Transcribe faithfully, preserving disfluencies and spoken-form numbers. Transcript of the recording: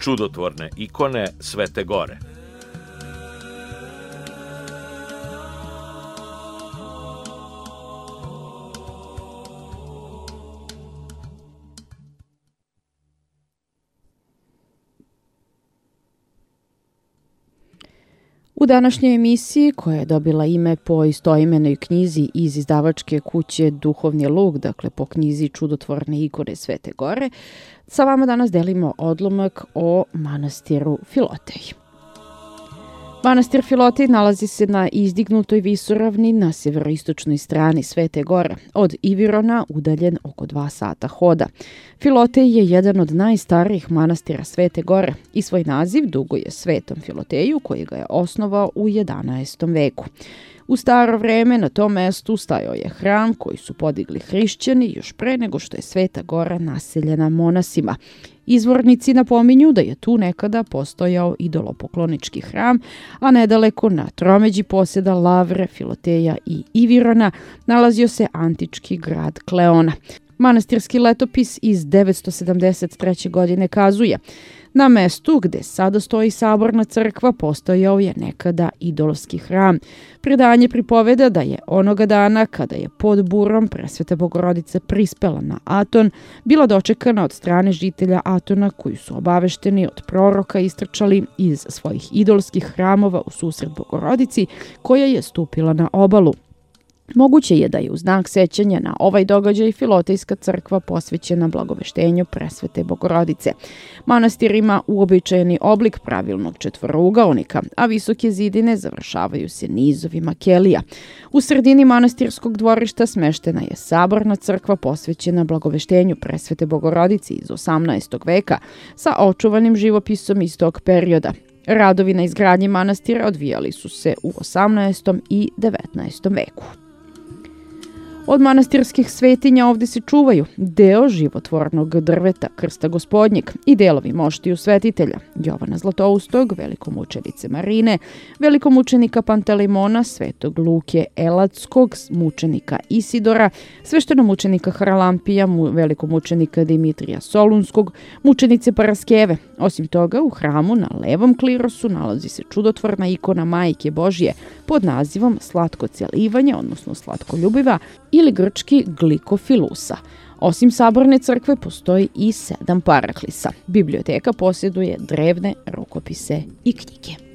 čudotvorne ikone Svete Gore. U današnjoj emisiji, koja je dobila ime po istoimenoj knjizi iz izdavačke kuće Duhovni luk, dakle po knjizi Čudotvorne ikone Svete Gore, sa vama danas delimo odlomak o manastiru Filoteji. Manastir Filotej nalazi se na izdignutoj visoravni na severoistočnoj strani Svete Gore, od Ivirona udaljen oko dva sata hoda. Filotej je jedan od najstarijih manastira Svete Gore i svoj naziv duguje Svetom Filoteju, koji ga je osnovao u jedanaestom veku. U staro vreme na tom mestu stajao je hram koji su podigli hrišćani još pre nego što je Sveta Gora naseljena monasima. Izvornici napominju da je tu nekada postojao idolopoklonički hram, a nedaleko na tromeđi poseda Lavre, Filoteja i Ivirona nalazio se antički grad Kleona. Manastirski letopis iz devetsto sedamdeset treće. godine kazuje: na mestu gde sada stoji saborna crkva postojao je nekada idolski hram. Predanje pripoveda da je onoga dana kada je pod burom Presveta Bogorodica prispela na Aton, bila dočekana od strane žitelja Atona koji su obavešteni od proroka istrčali iz svojih idolskih hramova u susret Bogorodici koja je stupila na obalu. Moguće je da je u znak sećanja na ovaj događaj Filotejska crkva posvećena blagoveštenju Presvete Bogorodice. Manastir ima uobičajeni oblik pravilnog četvorougaonika, a visoke zidine završavaju se nizovima kelija. U sredini manastirskog dvorišta smeštena je saborna crkva posvećena blagoveštenju Presvete Bogorodice iz osamnaestog veka sa očuvanim živopisom iz tog perioda. Radovi na izgradnji manastira odvijali su se u osamnaestom i devetnaestom veku. Od manastirskih svetinja ovdje se čuvaju deo životvornog drveta Krsta Gospodnjeg i delovi moštiju svetitelja Jovana Zlatoustog, velikomučenice Marine, velikomučenika Pantelimona, svetog Luke Elatskog, mučenika Isidora, sveštenomučenika Haralampija, velikomučenika Dimitrija Solunskog, mučenice Paraskeve. Osim toga, u hramu na levom klirosu nalazi se čudotvorna ikona Majke Božje pod nazivom Slatko celivanje, odnosno Slatkoljubiva, ili grčki Glikofilusa. Osim saborne crkve postoji i sedam paraklisa. Biblioteka posjeduje drevne rukopise i knjige.